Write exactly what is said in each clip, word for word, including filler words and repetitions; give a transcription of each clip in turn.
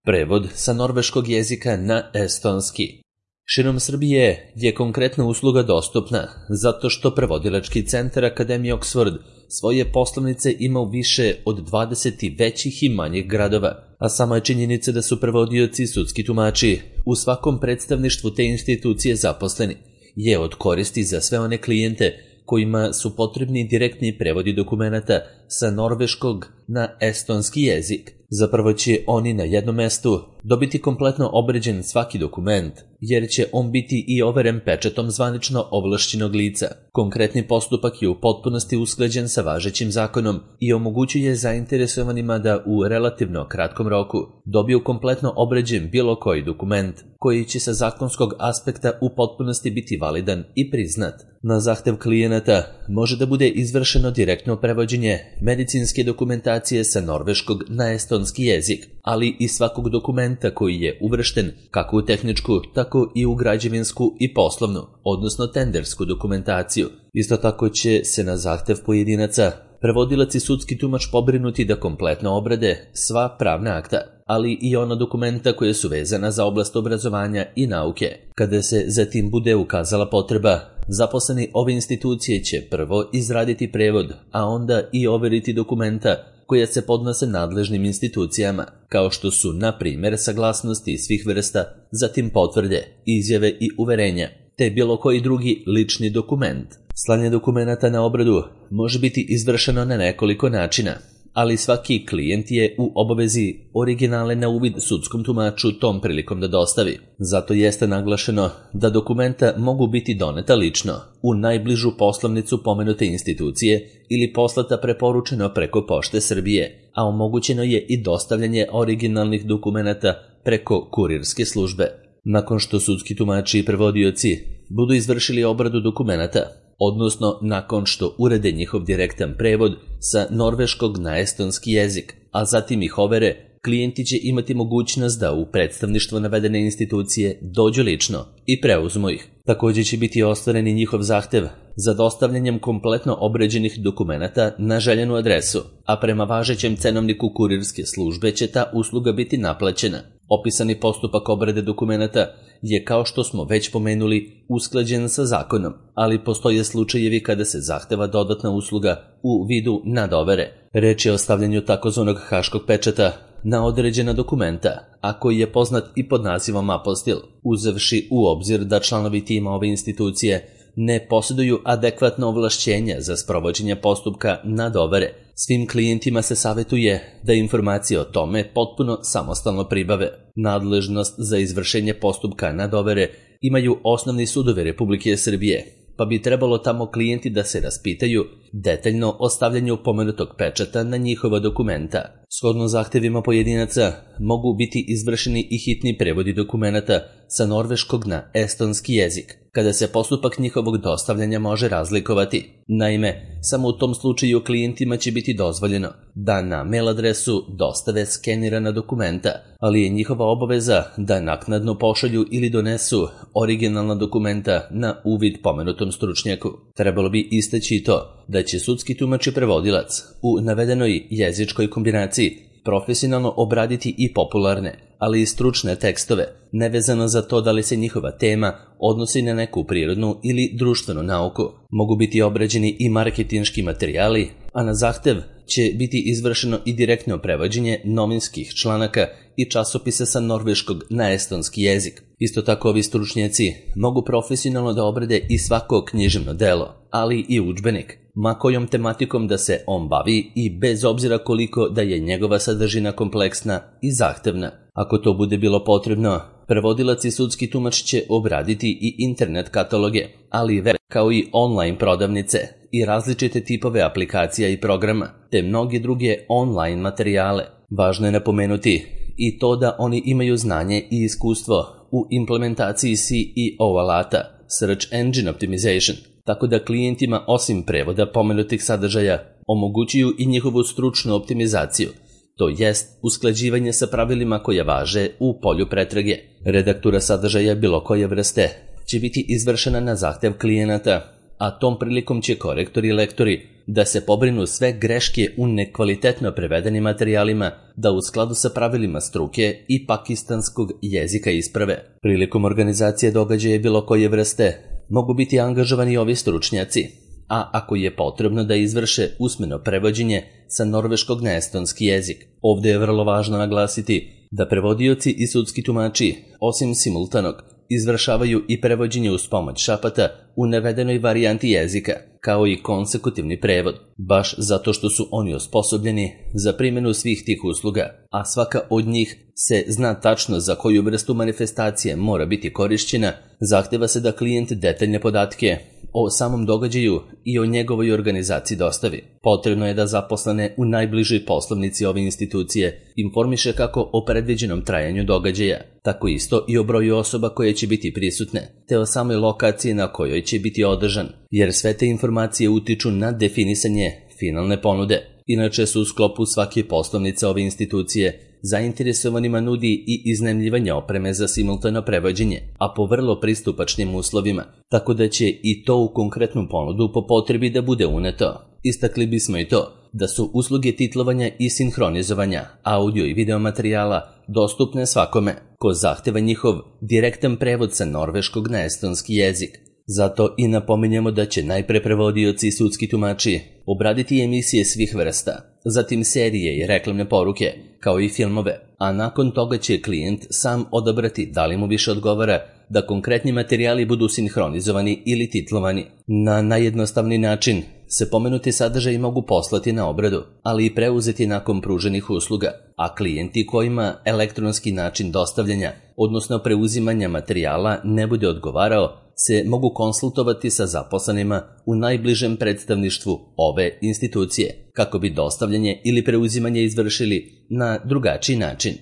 Prevod sa norveškog jezika na estonski. Širom Srbije je konkretna usluga dostupna zato što prevodilački centar Akademije Oxford svoje poslovnice ima u više od dvadeset većih i manjih gradova, a sama je činjenica da su prevodioci i sudski tumači u svakom predstavništvu te institucije zaposleni je od koristi za sve one klijente kojima su potrebni direktni prevodi dokumenata sa norveškog na estonski jezik. Zapravo će oni na jednom mestu dobiti kompletno obređen svaki dokument, jer će on biti i overen pečatom zvanično ovlašćenog lica. Konkretni postupak je u potpunosti usklađen sa važećim zakonom i omogućuje zainteresovanima da u relativno kratkom roku dobiju kompletno obređen bilo koji dokument, koji će sa zakonskog aspekta u potpunosti biti validan i priznat. Na zahtev klijenata može da bude izvršeno direktno prevođenje medicinske dokumentacije sa norveškog na estonski jezik, ali i svakog dokumenta koji je uvršten kako u tehničku, tako i u građevinsku i poslovnu, odnosno tendersku dokumentaciju. Isto tako će se na zahtev pojedinaca prevodilac i sudski tumač pobrinuti da kompletno obrade sva pravna akta, ali i ona dokumenta koje su vezana za oblast obrazovanja i nauke. Kada se zatim bude ukazala potreba, zaposleni ove institucije će prvo izraditi prevod, a onda i overiti dokumenta koja se podnose nadležnim institucijama, kao što su, na primjer, saglasnosti svih vrsta, zatim potvrde, izjave i uverenja, te bilo koji drugi lični dokument. Slanje dokumenata na obradu može biti izvršeno na nekoliko načina, ali svaki klijent je u obavezi originale na uvid sudskom tumaču tom prilikom da dostavi. Zato jeste naglašeno da dokumenta mogu biti doneta lično u najbližu poslovnicu pomenute institucije ili poslata preporučeno preko Pošte Srbije, a omogućeno je i dostavljanje originalnih dokumenata preko kurirske službe. Nakon što sudski tumači i prevodioci budu izvršili obradu dokumenata, odnosno nakon što urede njihov direktan prevod sa norveškog na estonski jezik, a zatim ih overe, klijenti će imati mogućnost da u predstavništvo navedene institucije dođu lično i preuzmu ih. Također će biti ostvaren i njihov zahtev za dostavljanjem kompletno obređenih dokumenata na željenu adresu, a prema važećem cenovniku kurirske službe će ta usluga biti naplaćena. Opisani postupak obrade dokumenata je, kao što smo već pomenuli, usklađen sa zakonom, ali postoje slučajevi kada se zahteva dodatna usluga u vidu nadovere. Reč je o stavljanju takozvanog haškog pečata na određena dokumenta, a koji je poznat i pod nazivom apostil, uzevši u obzir da članovi tima ove institucije ne posjeduju adekvatno ovlašćenja za sprovođenje postupka nadovere. Svim klijentima se savjetuje da informacije o tome potpuno samostalno pribave. Nadležnost za izvršenje postupka nadovere imaju osnovni sudovi Republike Srbije, pa bi trebalo tamo klijenti da se raspitaju detaljno o stavljanju pomenutog pečata na njihova dokumenta. Shodno zahtevima pojedinaca mogu biti izvršeni i hitni prevodi dokumenata sa norveškog na estonski jezik, kada se postupak njihovog dostavljanja može razlikovati. Naime, samo u tom slučaju klijentima će biti dozvoljeno da na mail adresu dostave skenirana dokumenta, ali je njihova obaveza da naknadno pošalju ili donesu originalna dokumenta na uvid pomenutom stručnjaku. Trebalo bi istaći to da će sudski tumač i prevodilac u navedenoj jezičkoj kombinaciji profesionalno obraditi i popularne, ali i stručne tekstove, nevezano za to da li se njihova tema odnosi na neku prirodnu ili društvenu nauku. Mogu biti obrađeni i marketinški materijali, a na zahtev će biti izvršeno i direktno prevođenje novinskih članaka i časopisa sa norveškog na estonski jezik. Isto tako ovi stručnjaci mogu profesionalno da obrade i svako književno delo, ali i udžbenik, ma kojom tematikom da se on bavi i bez obzira koliko da je njegova sadržina kompleksna i zahtevna. Ako to bude bilo potrebno, prevodilac i sudski tumač će obraditi i internet kataloge, ali web, kao i online prodavnice i različite tipove aplikacija i programa, te mnoge druge online materijale. Važno je napomenuti i to da oni imaju znanje i iskustvo u implementaciji C E O alata, Search Engine Optimization, tako da klijentima osim prevoda pomenutih sadržaja omogućuju i njihovu stručnu optimizaciju, to jest usklađivanje sa pravilima koja važe u polju pretrage. Redaktura sadržaja bilo koje vrste će biti izvršena na zahtev klijenata, a tom prilikom će korektori i lektori da se pobrinu sve greške u nekvalitetno prevedenim materijalima da u skladu sa pravilima struke i pakistanskog jezika isprave. Prilikom organizacije događaja bilo koje vrste mogu biti angažovani ovi stručnjaci, a ako je potrebno da izvrše usmeno prevođenje sa norveškog na estonski jezik. Ovdje je vrlo važno naglasiti da prevodioci i sudski tumači, osim simultanog, izvršavaju i prevođenje uz pomoć šapata u navedenoj varijanti jezika, kao i konsekutivni prevod, baš zato što su oni osposobljeni za primjenu svih tih usluga, a svaka od njih se zna tačno za koju vrstu manifestacije mora biti korišćena, zahteva se da klijent detaljne podatke o samom događaju i o njegovoj organizaciji dostavi. Potrebno je da zaposlene u najbližoj poslovnici ove institucije informiše kako o predviđenom trajanju događaja, tako isto i o broju osoba koje će biti prisutne, te o samoj lokaciji na kojoj će biti održan, jer sve te informacije utiču na definisanje finalne ponude. Inače su u sklopu svake poslovnice ove institucije zainteresovanima nudi i iznajmljivanje opreme za simultano prevođenje, a po vrlo pristupačnim uslovima, tako da će i to u konkretnu ponudu po potrebi da bude uneto. Istakli bismo i to da su usluge titlovanja i sinhronizovanja audio i video materijala dostupne svakome ko zahteva njihov direktan prevod sa norveškog na estonski jezik. Zato i napominjemo da će najpre prevodioci i sudski tumači obraditi emisije svih vrsta, zatim serije i reklamne poruke, kao i filmove, a nakon toga će klijent sam odabrati da li mu više odgovara da konkretni materijali budu sinhronizovani ili titlovani. Na najjednostavniji način se pomenuti sadržaji mogu poslati na obradu, ali i preuzeti nakon pruženih usluga, a klijenti kojima elektronski način dostavljanja, odnosno preuzimanja materijala ne bude odgovarao, se mogu konsultovati sa zaposlenima u najbližem predstavništvu ove institucije, kako bi dostavljanje ili preuzimanje izvršili na drugačiji način.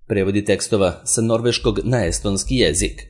Prevodi tekstova sa norveškog na estonski jezik.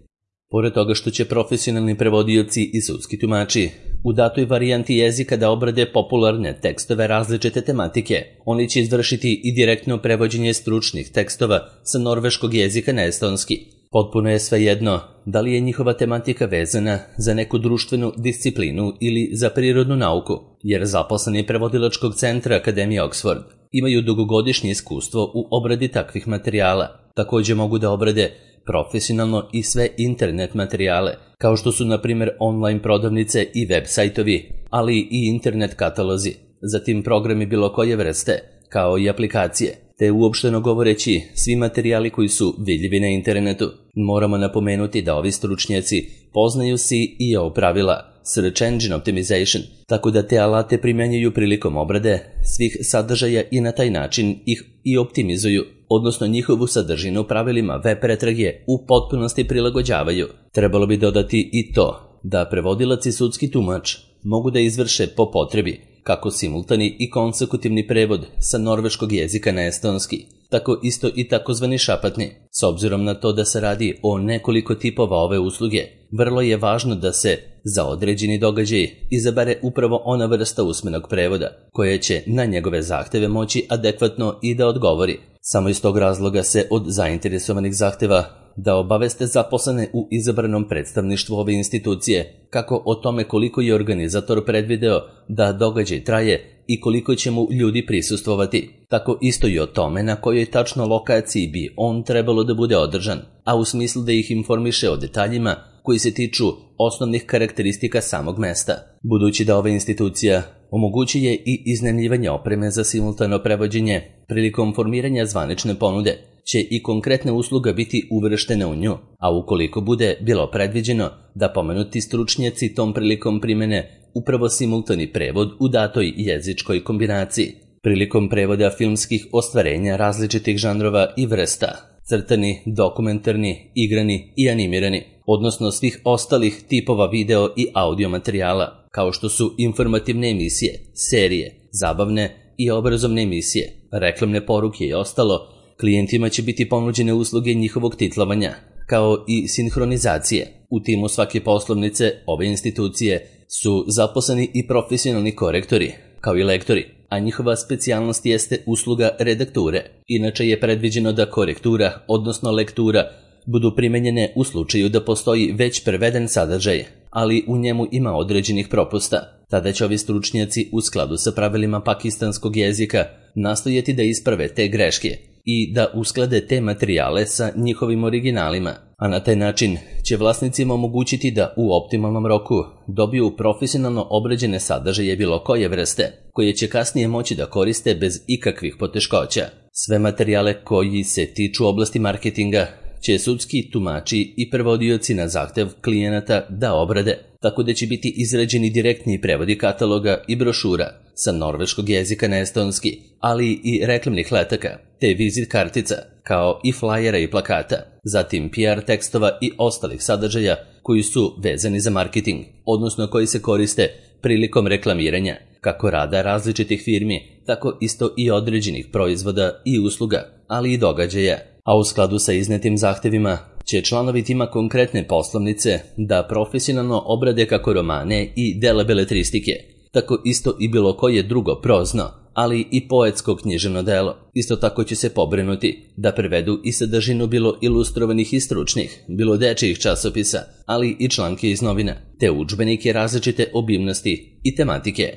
Pored toga što će profesionalni prevodioci i sudski tumači u datoj varijanti jezika da obrade popularne tekstove različite tematike, oni će izvršiti i direktno prevođenje stručnih tekstova sa norveškog jezika na estonski. Potpuno je svejedno da li je njihova tematika vezana za neku društvenu disciplinu ili za prirodnu nauku, jer zaposleni prevodilačkog centra Akademije Oxford imaju dugogodišnje iskustvo u obradi takvih materijala. Također mogu da obrade profesionalno i sve internet materijale, kao što su na primjer online prodavnice i web sajtovi, ali i internet katalozi, zatim programi bilo koje vrste, kao i aplikacije, te uopšteno govoreći svi materijali koji su vidljivi na internetu. Moramo napomenuti da ovi stručnjaci poznaju C E O pravila, Search Engine Optimization, tako da te alate primjenjuju prilikom obrade svih sadržaja i na taj način ih i optimizuju, odnosno njihovu sadržinu pravilima web pretrage u potpunosti prilagođavaju. Trebalo bi dodati i to da prevodilac i sudski tumač mogu da izvrše po potrebi kako simultani i konsekutivni prevod sa norveškog jezika na estonski, tako isto i takozvani šapatni. S obzirom na to da se radi o nekoliko tipova ove usluge, vrlo je važno da se za određeni događaj izabere upravo ona vrsta usmenog prevoda, koja će na njegove zahteve moći adekvatno i da odgovori. Samo iz tog razloga se od zainteresovanih zahteva da obaveste zaposlene u izabranom predstavništvu ove institucije kako o tome koliko je organizator predvideo da događaj traje i koliko će mu ljudi prisustvovati, tako isto i o tome na kojoj tačno lokaciji bi on trebalo da bude održan, a u smislu da ih informiše o detaljima koji se tiču osnovnih karakteristika samog mesta. Budući da ova institucija omogućuje i iznajmljivanje opreme za simultano prevođenje, prilikom formiranja zvanične ponude će i konkretna usluga biti uvrštena u nju, a ukoliko bude bilo predviđeno da pomenuti stručnjaci tom prilikom primene upravo simultani prevod u datoj jezičkoj kombinaciji. Prilikom prevoda filmskih ostvarenja različitih žanrova i vrsta, crtani, dokumentarni, igrani i animirani, odnosno svih ostalih tipova video i audio materijala, kao što su informativne emisije, serije, zabavne i obrazovne emisije, reklamne poruke i ostalo, klijentima će biti ponuđene usluge njihovog titlovanja, kao i sinhronizacije. U timu svake poslovnice ove institucije su zaposleni i profesionalni korektori, kao i lektori, a njihova specijalnost jeste usluga redakture. Inače je predviđeno da korektura, odnosno lektura, budu primenjene u slučaju da postoji već preveden sadržaj, ali u njemu ima određenih propusta. Tada će ovi stručnjaci u skladu sa pravilima pakistanskog jezika nastojati da isprave te greške i da usklade te materijale sa njihovim originalima, a na taj način će vlasnicima omogućiti da u optimalnom roku dobiju profesionalno obrađene sadržaje bilo koje vrste, koje će kasnije moći da koriste bez ikakvih poteškoća. Sve materijale koji se tiču oblasti marketinga će sudski tumači i prevodioci na zahtev klijenata da obrade, tako da će biti izrađeni direktni prevodi kataloga i brošura sa norveškog jezika na estonski, ali i reklamnih letaka, te vizit kartica, kao i flajera i plakata, zatim P R tekstova i ostalih sadržaja koji su vezani za marketing, odnosno koji se koriste prilikom reklamiranja, kako rada različitih firmi, tako isto i određenih proizvoda i usluga, ali i događaja. A u skladu sa iznetim zahtevima će članovi tima konkretne poslovnice da profesionalno obrade kako romane i dela beletristike, tako isto i bilo koje drugo prozno, ali i poetsko književno delo. Isto tako će se pobrinuti da prevedu i sadržinu bilo ilustrovanih i stručnih, bilo dečijih časopisa, ali i članke iz novina, te udžbenike različite obimnosti i tematike.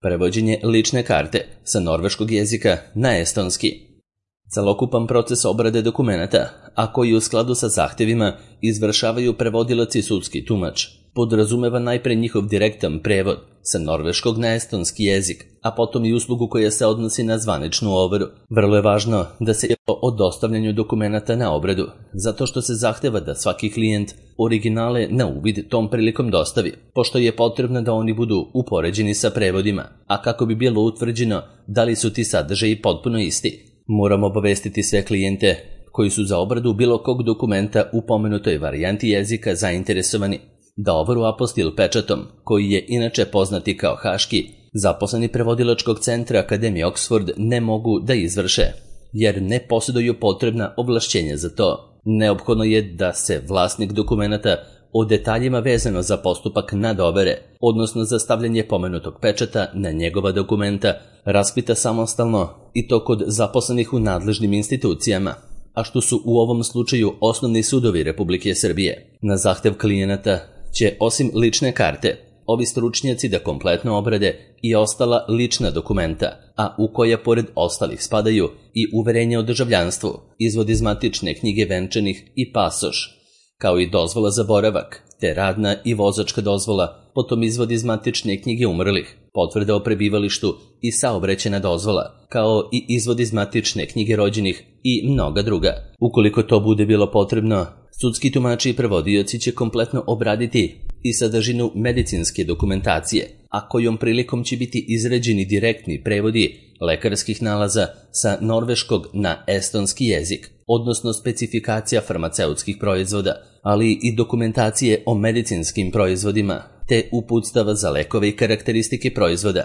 Prevođenje lične karte sa norveškog jezika na estonski. Celokupan proces obrade dokumenata, a koji u skladu sa zahtevima izvršavaju prevodilac i sudski tumač, podrazumeva najpre njihov direktan prevod sa norveškog na estonski jezik, a potom i uslugu koja se odnosi na zvaničnu overu. Vrlo je važno da se o dostavljanju dokumenata na obradu, zato što se zahteva da svaki klijent originale na uvid tom prilikom dostavi, pošto je potrebno da oni budu upoređeni sa prevodima, a kako bi bilo utvrđeno da li su ti sadržaji potpuno isti. Moramo obavestiti sve klijente koji su za obradu bilo kog dokumenta u pomenutoj varijanti jezika zainteresovani da overu apostil pečatom, koji je inače poznati kao haški, zaposleni prevodilačkog centra Akademije Oxford ne mogu da izvrše, jer ne posjeduju potrebna ovlašćenja za to. Neophodno je da se vlasnik dokumenata o detaljima vezano za postupak nadovere, odnosno za stavljanje pomenutog pečata na njegova dokumenta, raspita samostalno i to kod zaposlenih u nadležnim institucijama, a što su u ovom slučaju osnovni sudovi Republike Srbije. Na zahtev klijenata će osim lične karte ovi stručnjaci da kompletno obrade i ostala lična dokumenta, a u koja pored ostalih spadaju i uverenje o državljanstvu, izvod iz matične knjige venčanih i pasoš, kao i dozvola za boravak, te radna i vozačka dozvola, potom izvod iz matične knjige umrlih, potvrda o prebivalištu i saobraćajna dozvola, kao i izvod iz matične knjige rođenih i mnoga druga. Ukoliko to bude bilo potrebno, sudski tumači i prevodioci će kompletno obraditi i sadržinu medicinske dokumentacije, a kojom prilikom će biti izrađeni direktni prevodi lekarskih nalaza sa norveškog na estonski jezik, odnosno specifikacija farmaceutskih proizvoda, ali i dokumentacije o medicinskim proizvodima, te uputstava za lekove i karakteristike proizvoda,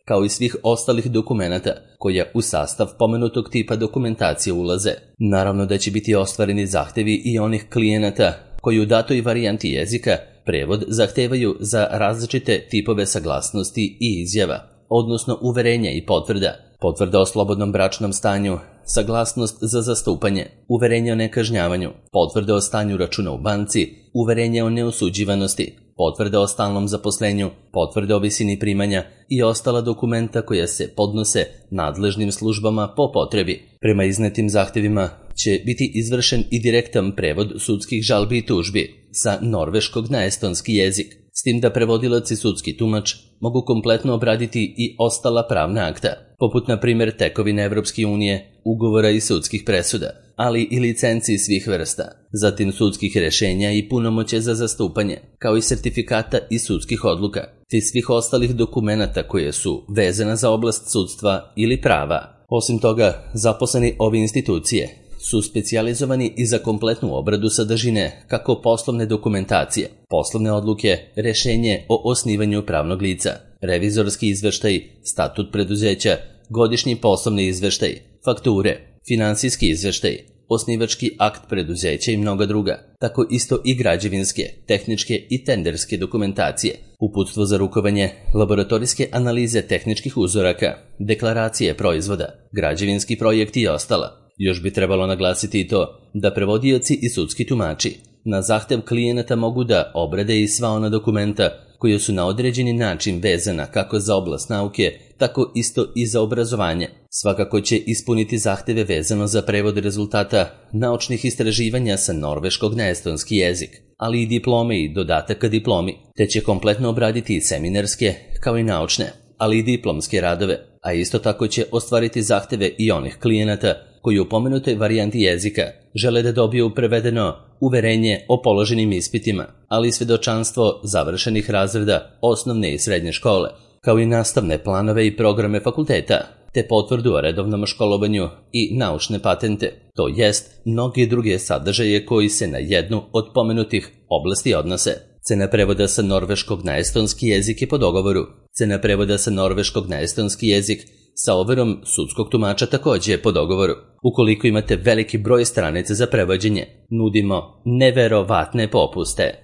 kao i svih ostalih dokumenata koja u sastav pomenutog tipa dokumentacije ulaze. Naravno da će biti ostvareni zahtevi i onih klijenata koji u datoj varijanti jezika prevod zahtevaju za različite tipove saglasnosti i izjava, odnosno uverenja i potvrda, potvrda o slobodnom bračnom stanju, saglasnost za zastupanje, uverenje o nekažnjavanju, potvrda o stanju računa u banci, uverenje o neosuđivanosti, potvrda o stalnom zaposlenju, potvrda o visini primanja i ostala dokumenta koja se podnose nadležnim službama po potrebi. Prema iznetim zahtevima će biti izvršen i direktan prevod sudskih žalbi i tužbi sa norveškog na estonski jezik, s tim da prevodilac i sudski tumač mogu kompletno obraditi i ostala pravna akta, poput na primjer tekovine Evropske unije, ugovora i sudskih presuda, ali i licenci svih vrsta, zatim sudskih rešenja i punomoće za zastupanje, kao i sertifikata i sudskih odluka, te svih ostalih dokumenata koje su vezana za oblast sudstva ili prava. Osim toga, zaposleni ove institucije su specijalizovani i za kompletnu obradu sadržine kako poslovne dokumentacije, poslovne odluke, rešenje o osnivanju pravnog lica, revizorski izveštaj, statut preduzeća, godišnji poslovni izveštaj, fakture, finansijski izveštaj, osnivački akt preduzeća i mnoga druga, tako isto i građevinske, tehničke i tenderske dokumentacije, uputstvo za rukovanje, laboratorijske analize tehničkih uzoraka, deklaracije proizvoda, građevinski projekti i ostala. Još bi trebalo naglasiti i to da prevodioci i sudski tumači Na zahtev klijenata mogu da obrade i sva ona dokumenta koja su na određeni način vezana kako za oblast nauke, tako isto i za obrazovanje. Svakako će ispuniti zahteve vezano za prevod rezultata naučnih istraživanja sa norveškog na estonski jezik, ali i diplome i dodataka diplomi, te će kompletno obraditi i seminarske, kao i naučne, ali i diplomske radove, a isto tako će ostvariti zahteve i onih klijenata koji u pomenutoj varijanti jezika žele da dobiju prevedeno uverenje o položenim ispitima, ali i svedočanstvo završenih razreda osnovne i srednje škole, kao i nastavne planove i programe fakulteta, te potvrdu o redovnom školovanju i naučne patente, to jest mnoge druge sadržaje koji se na jednu od pomenutih oblasti odnose. Cena prevoda sa norveškog na estonski jezik je po dogovoru. Cena prevoda sa norveškog na estonski jezik sa overom sudskog tumača takođe po dogovoru. Ukoliko imate veliki broj stranica za prevođenje, nudimo neverovatne popuste.